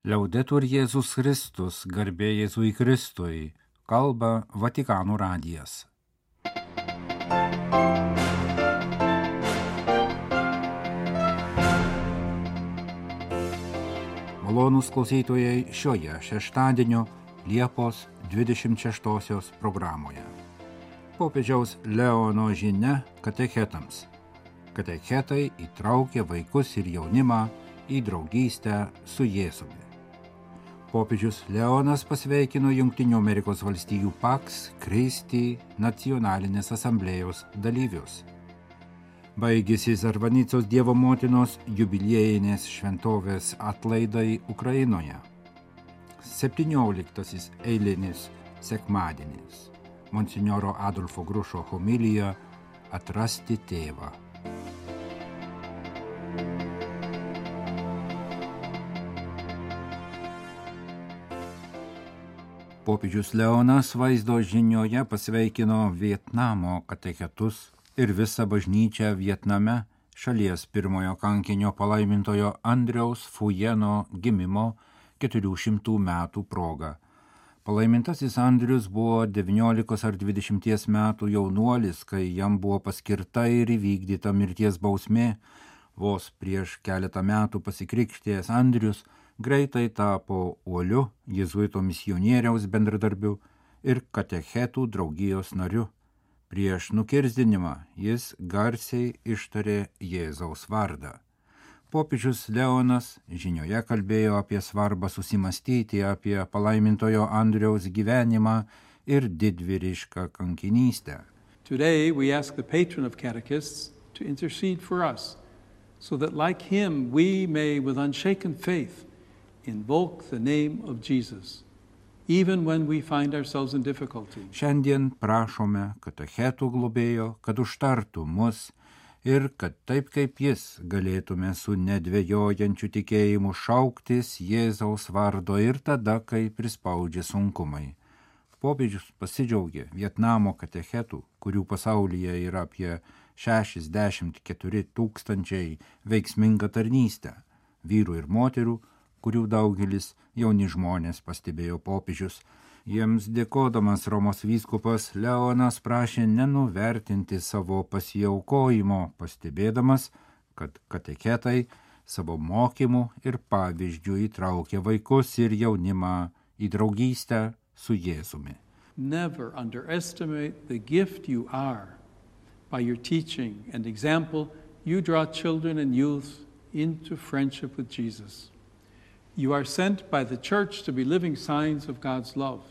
Liaudetur Jėzus Kristus, garbė Jėzui Kristui, kalba Vatikano radijas. Malonūs klausytojai šioje šeštadienio Liepos 26 programoje. Popiežiaus Leono žinia katechetams. Katechetai įtraukia vaikus ir jaunimą į draugystę su Jėzumi. Popiežius Leonas pasveikino Jungtinių Amerikos valstijų Pax Christi nacionalinės asamblėjos dalyvius. Baigėsi Zarvanicos Dievo motinos jubiliejinės šventovės atlaidai Ukrainoje. 17 eilinis sekmadienis. Monsinjoro Adolfo Grušo homilija Atrasti tėvą. Popiežius Leonas vaizdo žinioje pasveikino Vietnamo katechetus ir visą bažnyčią Vietname šalies pirmojo kankinio palaimintojo Andriaus Fujeno gimimo 400 metų proga. Palaimintasis Andrius buvo 19 ar 20 metų jaunuolis, kai jam buvo paskirta ir įvykdyta mirties bausmė. Vos prieš keletą metų pasikrikštėjęs Andrius greitai tapo uoliu jėzuito misionieriaus bendradarbiu ir katechetų draugijos nariu. Prieš nukirzdinimą jis garsiai ištarė Jėzaus vardą. Popiežius Leonas žinioje kalbėjo apie svarbą susimastyti apie palaimintojo Andriaus gyvenimą ir didvyrišką kankinystę. Today we ask the patron of catechists to intercede for us, so that like him we may with unshaken faith invoke the name of Jesus, even when we find ourselves in difficulty. Šiandien prašome katechetų globėjo, kad užtartų mus ir kad taip kaip jis galėtume su nedvejojančiu tikėjimu šauktis Jėzaus vardo ir tada, kai prispaudžia sunkumai. Popiežius pasidžiaugė Vietnamo katechetų, kurių pasaulyje yra apie 64 000 veiksmingą tarnystę, vyrų ir moterų, kurių daugelis jauni žmonės, pastebėjo popiežius. Jiems dėkodamas Romos vyskupas Leonas prašė nenuvertinti savo pasiaukojimo, pastebėdamas, kad katechetai savo mokymų ir pavyzdžių įtraukia vaikus ir jaunimą į draugystę su Jėzumi. Never underestimate the gift you are. By your teaching and example, you draw children and youth into friendship with Jesus. You are sent by the Church to be living signs of God's love.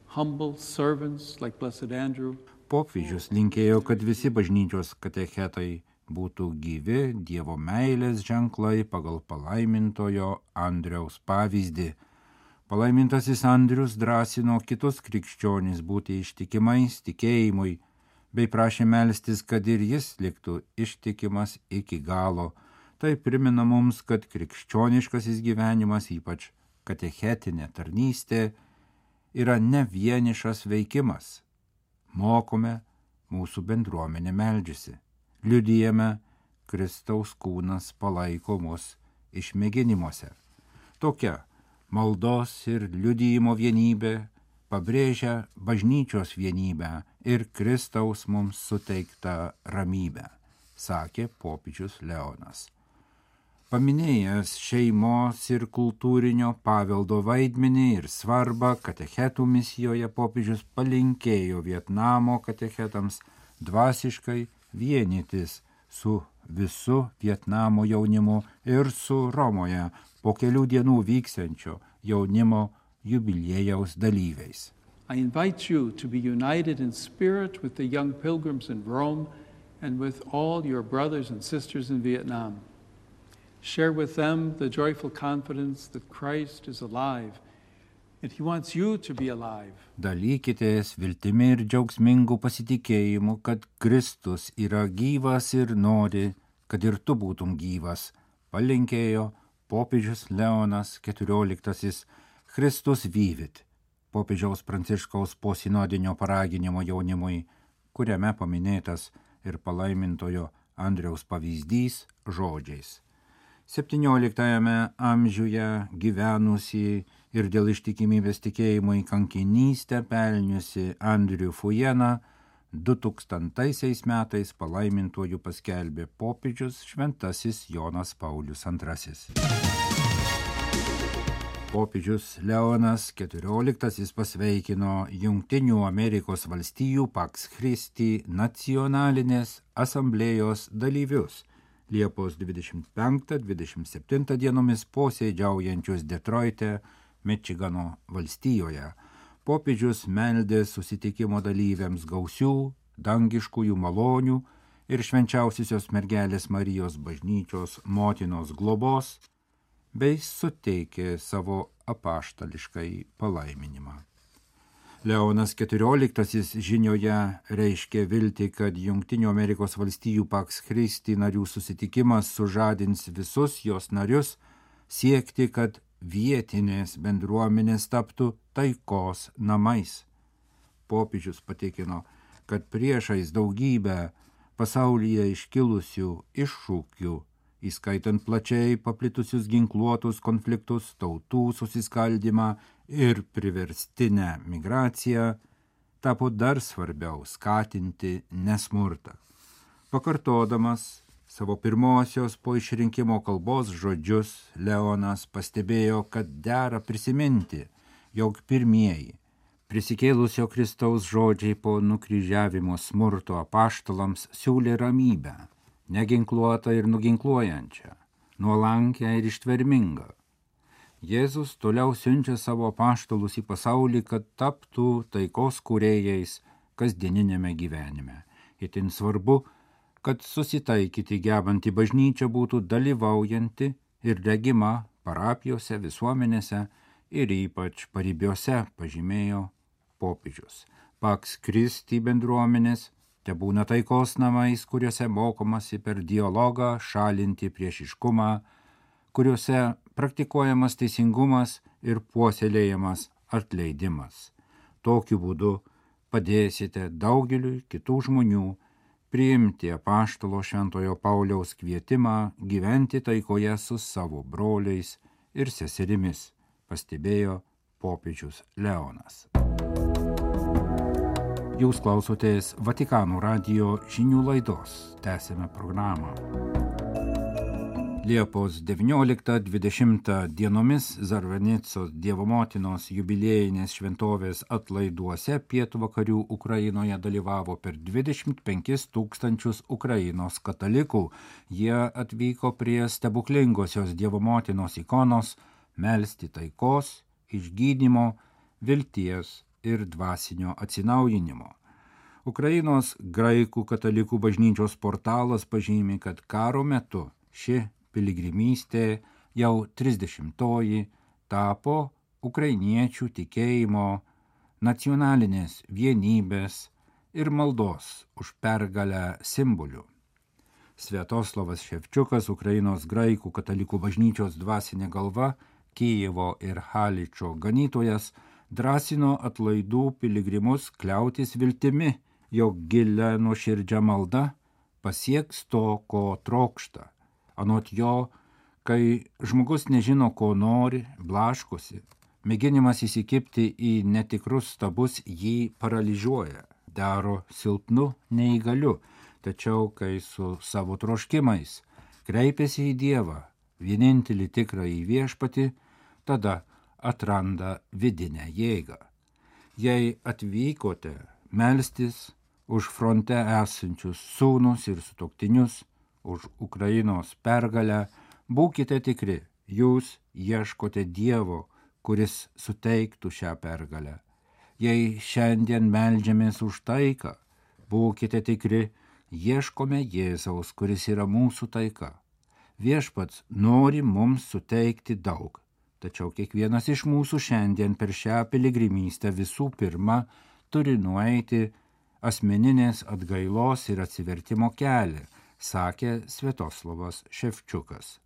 Humble servants like Blessed Andrew. Popiežius linkėjo, kad visi bažnyčios katechetai būtų gyvi Dievo meilės ženklai pagal palaimintojo Andriaus pavyzdį. Palaimintasis Andrius drąsino kitus krikščionis būti ištikimais tikėjimui, bei prašė melstis, kad ir jis liktų ištikimas iki galo. Tai primena mums, kad krikščioniškasis gyvenimas, ypač katechetinė tarnystė, yra ne vienišas veikimas. Mokome, mūsų bendruomenė meldžiasi. Liudijame, Kristaus kūnas palaiko mus išmėginimuose. Tokia maldos ir liudijimo vienybė pabrėžia bažnyčios vienybę ir Kristaus mums suteiktą ramybę, sakė popiežius Leonas. Paminėjęs šeimos ir kultūrinio paveldo vaidmenį ir svarbą katechetų misijoje, popiežius palinkėjo Vietnamo katechetams dvasiškai vienytis su visu Vietnamo jaunimu ir su Romoje po kelių dienų vyksiančio jaunimo jubiliejaus dalyviais. I invite you to be united in spirit with the young pilgrims in Rome and with all your brothers and sisters in Vietnam. Share with them the joyful confidence that Christ is alive and he wants you to be alive. Dalykitės viltimi ir džiaugsmingu pasitikėjimu, kad Kristus yra gyvas ir nori, kad ir tu būtum gyvas, palinkėjo popiežius Leonas XIV. Christus vivit, popiežiaus Pranciškaus posinodinio paraginimo jaunimui, kuriame paminėtas ir palaimintojo Andriaus pavyzdys žodžiais. XVII amžiuje gyvenusi ir dėl ištikimybės tikėjimo į kankinystę pelniusi Andrių Fujeną 2000 metais palaimintuoju paskelbė popiežius šventasis Jonas Paulius II. Popiežius Leonas XIV pasveikino Jungtinių Amerikos valstijų Pax Christi nacionalinės asamblėjos dalyvius Liepos 25-27 dienomis posėdžiaujančius Detroite, Mičigano valstijoje. Popiežius meldė susitikimo dalyviams gausių, dangiškųjų malonių ir švenčiausiosios mergelės Marijos bažnyčios motinos globos, bei suteikė savo apaštališkai palaiminimą. Leonas XIV žinioje reiškė viltį, kad Jungtinių Amerikos valstijų Pax Christi narių susitikimas sužadins visus jos narius siekti, kad vietinės bendruomenės taptų taikos namais. Popiežius patikino, kad priešais daugybę pasaulyje iškilusių iššūkių, įskaitant plačiai paplitusius ginkluotus konfliktus, tautų susiskaldymą ir priverstinę migraciją, tapo dar svarbiau skatinti nesmurtą. Pakartodamas savo pirmosios po išrinkimo kalbos žodžius, Leonas pastebėjo, kad dera prisiminti, jog pirmieji prisikėlusio Kristaus žodžiai po nukryžiavimo smurto apaštalams siūlė ramybę, neginkluotą ir nuginkluojančią, nuolankę ir ištvermingą. Jėzus toliau siunčia savo apaštalus į pasaulį, kad taptų taikos kūrėjais kasdieninėme gyvenime. Itin svarbu, kad susitaikyti gebanti bažnyčia būtų dalyvaujanti ir regima parapijose, visuomenėse ir ypač paribiuose, pažymėjo popiežius. Pax Christi bendruomenės tebūna taikos namais, kuriuose mokomasi per dialogą šalinti priešiškumą, kuriuose praktikuojamas teisingumas ir puoselėjamas atleidimas. Tokiu būdu padėsite daugeliui kitų žmonių priimti apaštalo Šventojo Pauliaus kvietimą gyventi taikoje su savo broliais ir seserimis, pastebėjo popiežius Leonas. Jūs klausotės Vatikano radijo žinių laidos. Tęsiame programą. Liepos 19-20 dienomis Zarvanicos Dievo motinos jubiliejinės šventovės atlaiduose pietvakarių Ukrainoje dalyvavo per 25 000 Ukrainos katalikų. Jie atvyko prie stebuklingosios Dievo motinos ikonos melsti taikos, išgydymo, vilties ir dvasinio atsinaujinimo. Ukrainos graikų katalikų bažnyčios portalas pažymi, kad karo metu ši piligrimystė jau 30-oji tapo ukrainiečių tikėjimo, nacionalinės vienybės ir maldos už pergalę simboliu. Sviatoslavas Ševčiukas, Ukrainos graikų katalikų bažnyčios dvasinė galva, Kijevo ir Haličo ganytojas, drąsino atlaidų piligrimus kliautis viltimi, jog gilia nuoširdžia malda pasieks to, ko trokšta. Anot jo, kai žmogus nežino, ko nori, blaškosi, mėginimas įsikibti į netikrus stabus jį paralyžiuoja, daro silpnu, neįgaliu, tačiau kai su savo troškimais kreipiasi į Dievą, vienintelį tikrąjį viešpatį, tada atranda vidinę jėgą. Jei atvykote melstis už fronte esančius sūnus ir sutuoktinius, už Ukrainos pergalę, būkite tikri, jūs ieškote Dievo, kuris suteiktų šią pergalę. Jei šiandien meldžiamės už taiką, būkite tikri, ieškome Jėzaus, kuris yra mūsų taika. Viešpats nori mums suteikti daug. Tačiau kiekvienas iš mūsų šiandien per šią piligrimystę visų pirma turi nueiti asmeninės atgailos ir atsivertimo kelią, sakė Sviatoslavas Ševčiukas.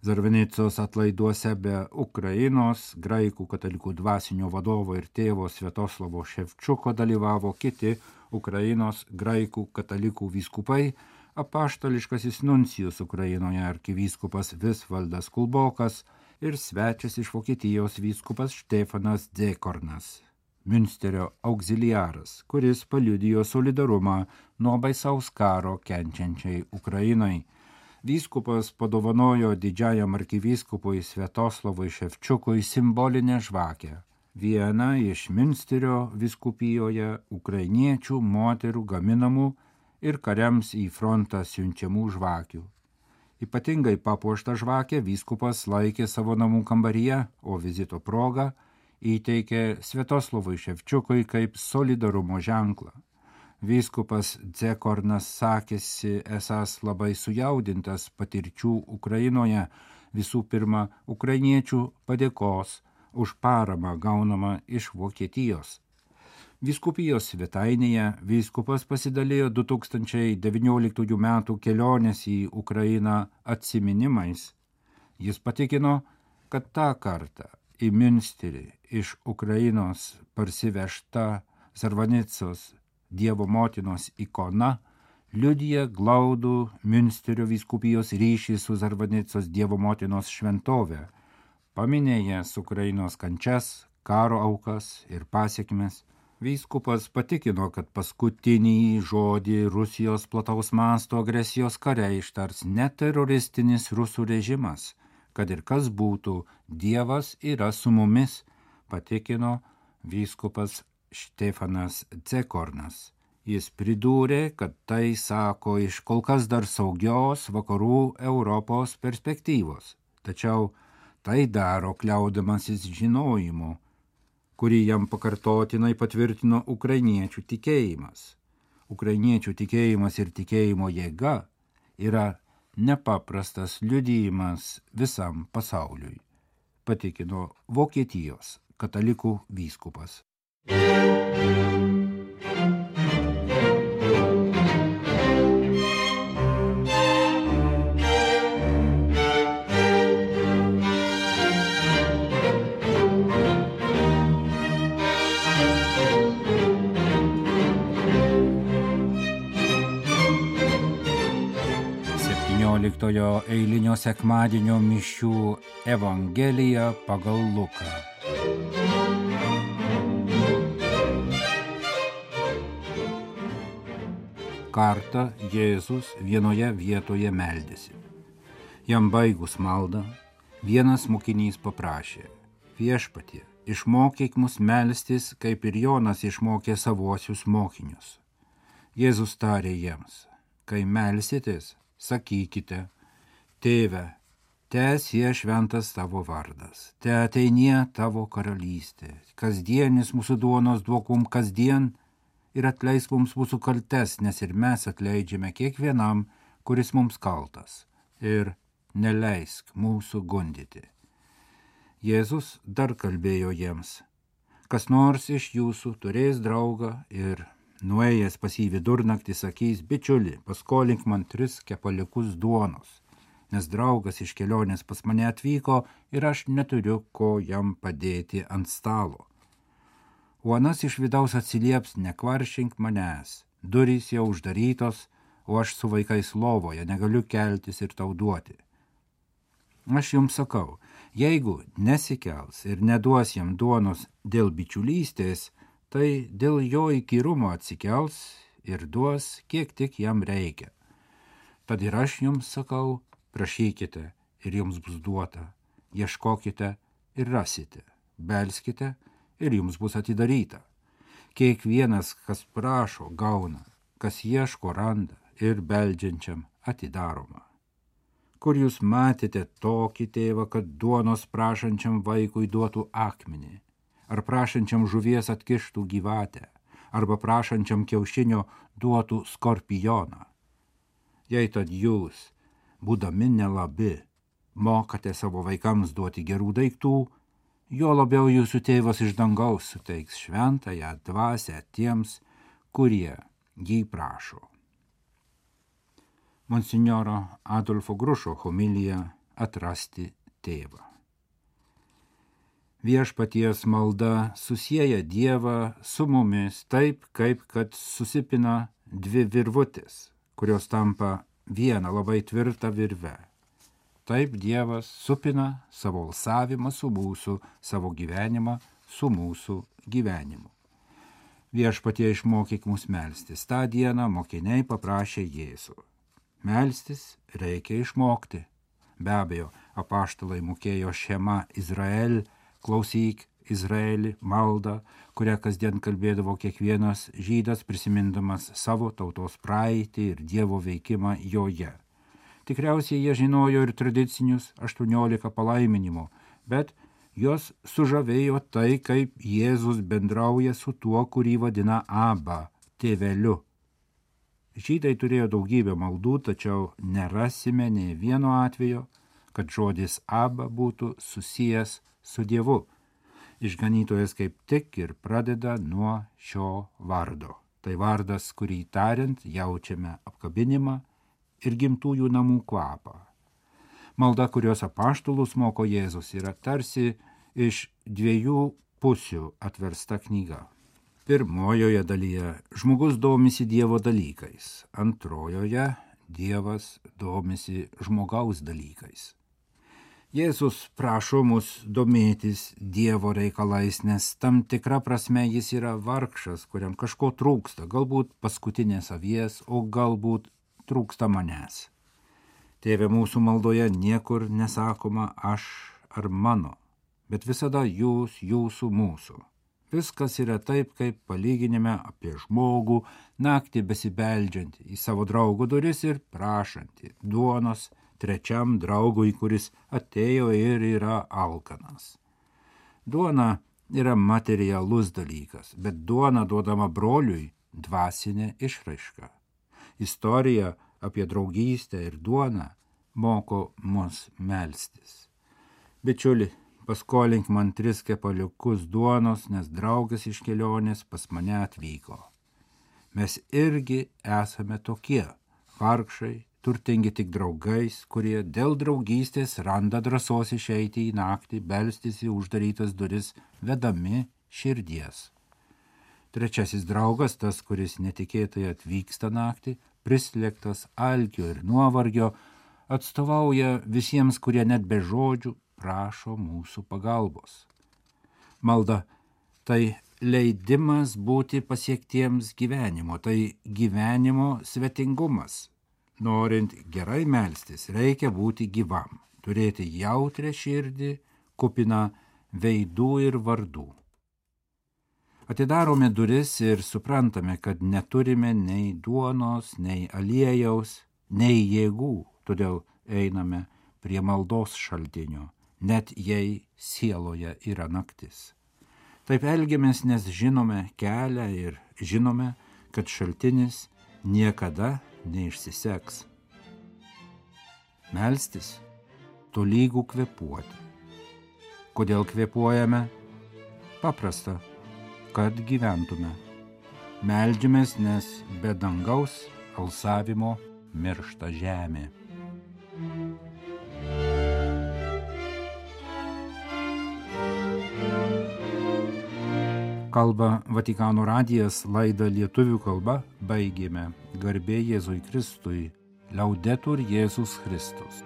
Zarvanicos atlaiduose be Ukrainos graikų katalikų dvasinio vadovo ir tėvo Sviatoslavo Ševčiuko dalyvavo kiti Ukrainos graikų katalikų vyskupai, apaštališkasis nuncijus Ukrainoje arkivyskupas Visvaldas Kulbokas ir svečias iš Vokietijos vyskupas Štefanas Dzekornas, Münsterio auxiliaras, kuris paliudijo solidarumą nuo baisaus karo kenčiančiai Ukrainai. Vyskupas padovanojo didžiajam arkivyskupui Sviatoslavui Ševčiukui simbolinę žvakę, vieną iš Münsterio vyskupijoje ukrainiečių moterų gaminamų ir kariams į frontą siunčiamų žvakių. Ypatingai papuoštą žvakę vyskupas laikė savo namų kambaryje, o vizito proga įteikė Sviatoslavui Ševčiukui kaip solidarumo ženklą. Vyskupas Dzekornas sakėsi esąs labai sujaudintas patirčių Ukrainoje, visų pirma ukrainiečių padėkos už paramą gaunamą iš Vokietijos. Vyskupijos svetainėje vyskupas pasidalijo 2019 metų kelionės į Ukrainą atsiminimais. Jis patikino, kad tą kartą į Münsterį iš Ukrainos parsivežta Zarvanicos Dievo motinos ikona liudija glaudų Münsterio vyskupijos ryšį su Zarvanicos Dievo motinos šventove, paminėjęs Ukrainos kančias, karo aukas ir pasiekmes. Vyskupas patikino, kad paskutinį žodį Rusijos plataus masto agresijos kare ištars ne teroristinis rusų režimas, kad ir kas būtų, Dievas yra su mumis, patikino vyskupas Štefanas Dzekornas. Jis pridūrė, kad tai sako iš kol kas dar saugios vakarų Europos perspektyvos, tačiau tai daro kliaudamasis žinojimu, kurį jam pakartotinai patvirtino ukrainiečių tikėjimas. Ukrainiečių tikėjimas ir tikėjimo jėga yra nepaprastas liudijimas visam pasauliui, patikino Vokietijos katalikų vyskupas. 17 eilinio sekmadienio mišių Evangelija pagal Luką. Kartą Jėzus vienoje vietoje meldėsi. Jam baigus maldą, vienas mokinys paprašė: Viešpatie, išmokyk mus melstis, kaip ir Jonas išmokė savuosius mokinius. Jėzus tarė jiems: kai melsitės, sakykite: Tėve, teesie šventas tavo vardas, teateinie tavo karalystė, kasdienis mūsų duonos duok mums kasdien ir atleisk mums mūsų kaltes, nes ir mes atleidžiame kiekvienam, kuris mums kaltas, ir neleisk mūsų gundyti. Jėzus dar kalbėjo jiems: kas nors iš jūsų turės draugą ir nuėjęs pas jį vidurnaktį sakys: bičiuli, paskolink man 3 kepaliukus duonos, nes draugas iš kelionės pas mane atvyko ir aš neturiu ko jam padėti ant stalo. O anas iš vidaus atsilieps: nekvaršink manęs, durys jau uždarytos, o aš su vaikais lovoje negaliu keltis ir tau duoti. Aš jums sakau, jeigu nesikels ir neduos jam duonos dėl bičiulystės, tai dėl jo įkyrumo atsikels ir duos, kiek tik jam reikia. Tad ir aš jums sakau, prašykite ir jums bus duota, ieškokite ir rasite, belskite ir jums bus atidaryta. Kiekvienas, kas prašo, gauna, kas ieško, randa ir beldžiančiam atidaroma. Kur jūs matėte tokį tėvą, kad duonos prašančiam vaikui duotų akmenį, ar prašančiam žuvies atkištų gyvatę, arba prašančiam kiaušinio duotų skorpioną? Jei tad jūs, būdami nelabi, mokate savo vaikams duoti gerų daiktų, jo labiau jūsų tėvas iš dangaus suteiks šventąją dvasią tiems, kurie jį prašo. Monsinjoro Adolfo Grušo homilija Atrasti tėvą. Viešpaties malda susieja Dievą su mumis taip, kaip kad susipina 2 virvutės, kurios tampa viena labai tvirta virve. Taip Dievas supina savo alsavimą su mūsų, savo gyvenimą su mūsų gyvenimu. Viešpatie išmokyk mus melstis. Ta diena mokiniai paprašė Jėzų. Melstis reikia išmokti. Be abejo, apaštalai mokėjo Šema Izrael, klausyk Izraelį maldą, kurią kasdien kalbėdavo kiekvienas žydas prisimindamas savo tautos praeitį ir Dievo veikimą joje. Tikriausiai jie žinojo ir tradicinius 18 palaiminimų, bet jos sužavėjo tai, kaip Jėzus bendrauja su tuo, kurį vadina Abba, tėveliu. Žydai turėjo daugybę maldų, tačiau nerasime nė vieno atvejo, kad žodis Abba būtų susijęs su Dievu. Išganytojas kaip tik ir pradeda nuo šio vardo. Tai vardas, kurį tariant jaučiame apkabinimą ir gimtųjų namų kvapą. Malda, kurios apaštalus moko Jėzus, yra tarsi iš dviejų pusių atversta knyga. Pirmojoje dalyje žmogus domisi Dievo dalykais, antrojoje Dievas domisi žmogaus dalykais. Jėzus prašo mus domėtis Dievo reikalais, nes tam tikra prasme jis yra vargšas, kuriam kažko trūksta, galbūt paskutinės avies, o galbūt trūksta manęs. Tėve, mūsų maldoje niekur nesakoma aš ar mano, bet visada jūs, jūsų, mūsų. Viskas yra taip, kaip palyginime apie žmogų, naktį besibeldžiantį į savo draugo duris ir prašantį duonos trečiam draugui, kuris atėjo ir yra alkanas. Duona yra materialus dalykas, bet duona duodama broliui dvasinė išraiška. Istorija apie draugystę ir duoną moko mus melstis. Bičiuli, paskolink man 3 kepaliukus duonos, nes draugas iš kelionės pas mane atvyko. Mes irgi esame tokie, vargšai, turtingi tik draugais, kurie dėl draugystės randa drąsos išeiti į naktį, belstis į uždarytas duris, vedami širdies. Trečiasis draugas, tas, kuris netikėtai atvyksta naktį, prislėgtas alkio ir nuovargio, atstovauja visiems, kurie net be žodžių prašo mūsų pagalbos. Malda tai leidimas būti pasiektiems gyvenimo, tai gyvenimo svetingumas. Norint gerai melstis, reikia būti gyvam, turėti jautrią širdį, kupiną veidų ir vardų. Atidarome duris ir suprantame, kad neturime nei duonos, nei aliejaus, nei jėgų, todėl einame prie maldos šaltinio, net jei sieloje yra naktis. Taip elgiamės, nes žinome kelią ir žinome, kad šaltinis niekada neišsiseks. Melstis tolygų kvėpuoti. Kodėl kvėpuojame? Paprasta, kad gyventume. Meldžiamės, nes be dangaus alsavimo miršta žemė. Kalba Vatikano radijas, laidą lietuvių kalba baigėme. Garbė Jėzui Kristui, Laudetur Jėzus Kristus.